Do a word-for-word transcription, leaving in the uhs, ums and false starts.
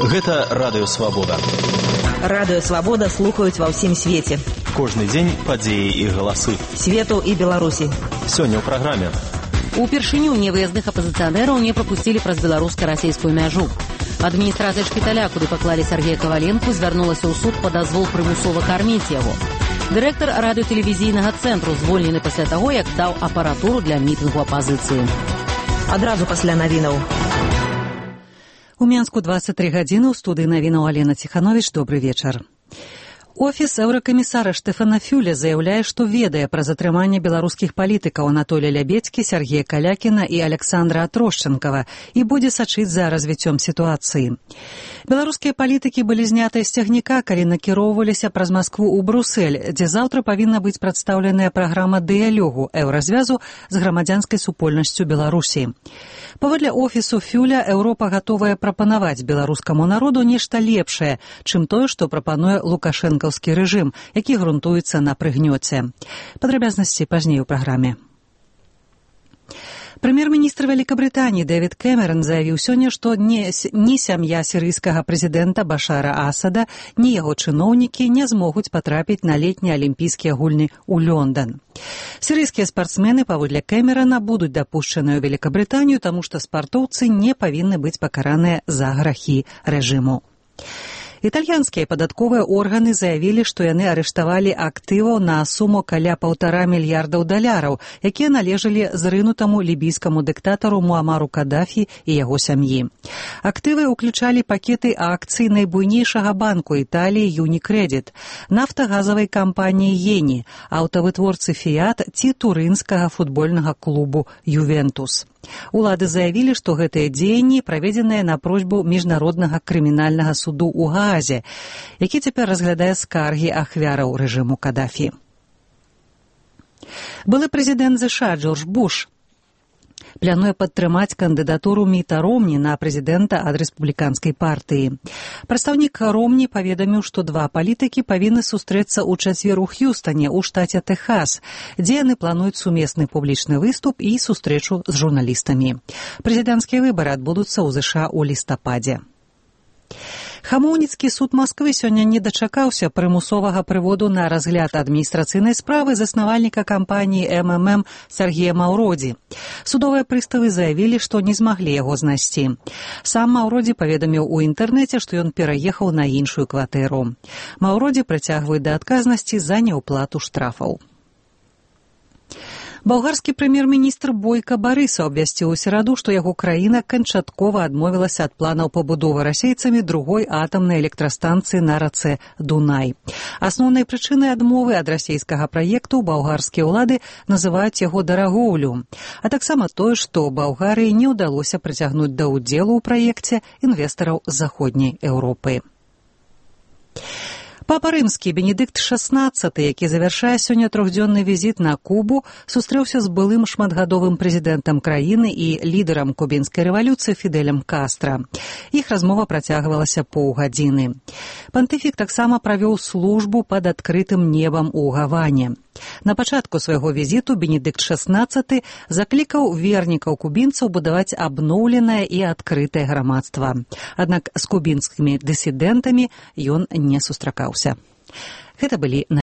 Гэта Радыё Свабода. Радыё Свабода слухаюць ва ўсім свеце. Кожны дзень падзеі і галасы. Свету і Беларусі. Сёння ў праграме. Упершыню невыязных апазіцыянераў не прапусцілі праз беларуска-расейскую мяжу. Адміністрацыя шпіталя, куды паклалі Сергея Коваленку, звярнулася ў суд па дазвол прымусова карміць яго. Дырэктар радыётэлевізійнага цэнтру звольнены пасля таго, як даў апаратуру для мітынгу апазіцыі. Адразу пасля навінаў. У Менску двадцать три гадзіны, ў студыі навінаў Алена Ціхановіч. Добры вечар. Офіс еўракамісара Штефана Фюля заяўляе, што ведае пра затрыманне беларускіх палітыкаў Анатолія Лябедзькі, Сергея Калякіна і Александра Атрошчанкава і будзе сачыць за развіццём сітуацыі. Беларускія палітыкі былі знятыя з цягніка, калі накіроўваліся праз Маскву ў Брусэль, дзе заўтра павінна быць прадстаўленая праграма дыялогу еўразвязу з грамадзянскай супольнасцю Беларусі. Паводле офісу Фюля, Еўропа гатовая прапанаваць беларускаму народу нешта лепшае, чым тое, што прапануе лукашэнкаўскі рэжым, які грунтуецца на прыгнёце. Падрабязнасці пазней у праграме. Прэм'ер-міністр Вялікабрытаніі Дэвід Кэмерон заявіў сёння, што ні, ні сям'я сірыйскага прэзідэнта Башара Асада, ні яго чыноўнікі не змогуць патрапіць на летнія алімпійскія гульні ў Лёндан. Сірыйскія спартсмены, паводле Кэмерона, будуць дапушчаныя ў Вялікабрытанію, таму што спартоўцы не павінны быць пакараныя за грахі рэжыму. Італьянскія падатковыя органы заявілі, што яны арыштавалі актываў на суму каля паўтара мільярдаў даляраў, якія належалі зрынутаму лібійскаму дыктатару Муамару Кадафі і яго сям'і. Актывы ўключалі пакеты акцый найбуйнейшага банку Італіі Юнікрэдіт, нафтагазавай кампаніі Ені, аўтавытворцы Фіят ці турынскага футбольнага клубу Ювентус. Улады заявілі, што гэтыя дзеянні праведзеныя на просьбу міжнароднага крымінальнага суду ў Гаазе, які цяпер разглядае скаргі ахвяраў рэжыму Кадафі. Былы прэзідэнт ЗША Джордж Буш плануе падтрымаць кандыдатуру Міта Ромні на прэзідэнта ад рэспубліканскай партыі. Прадстаўнік Ромні паведаміў, што два палітыкі павінны сустрэцца ў чацвер у Х'юстане, у штаце Тэхас, дзе яны плануюць сумесны публічны выступ і сустрэчу з журналістамі. Прэзідэнцкія выбары адбудуцца ў ЗША ў лістападзе. Хамоўніцкі суд Масквы сёння не дачакаўся прымусовага прыводу на разгляд адміністрацыйнай справы заснавальніка кампаніі эм эм эм Сергея Маўродзі. Судовыя прыставы заявілі, што не змаглі яго знайсці. Сам Маўродзі паведаміў у інтэрнэце, што ён пераехаў на іншую кватэру. Маўродзі прыцягваюць да адказнасці за няўплату штрафаў. Балгарскі прэм'ер-міністр Бойка Барыса абвясціў у сераду, што яго краіна канчаткова адмовілася ад планаў пабудовы расейцамі другой атамнай электрастанцыі на рацэ Дунай. Асноўнай прычынай адмовы ад расейскага праекту балгарскія ўлады называюць яго дарагоўлю, а таксама тое, што Балгарыі не ўдалося прыцягнуць да ўдзелу ў праекце інвестараў з заходняй Еўропы. Папа рымскі Бенедыкт шаснаццаты, які завяршае сёння трохдзённы візіт на Кубу, сустрэўся з былым шматгадовым прэзідэнтам краіны і лідарам кубінскай рэвалюцыі Фідэлем Кастра. Іх размова працягвалася паўгадзіны. Пантыфік таксама правёў службу пад адкрытым небам у Гаване. На пачатку свайго візіту Бенедыкт шаснаццаты заклікаў вернікаў кубінцаў будаваць абноўленае і адкрытае грамадства. Аднак з кубінскімі дысідэнтамі ён не сустракаўся. Гэта былі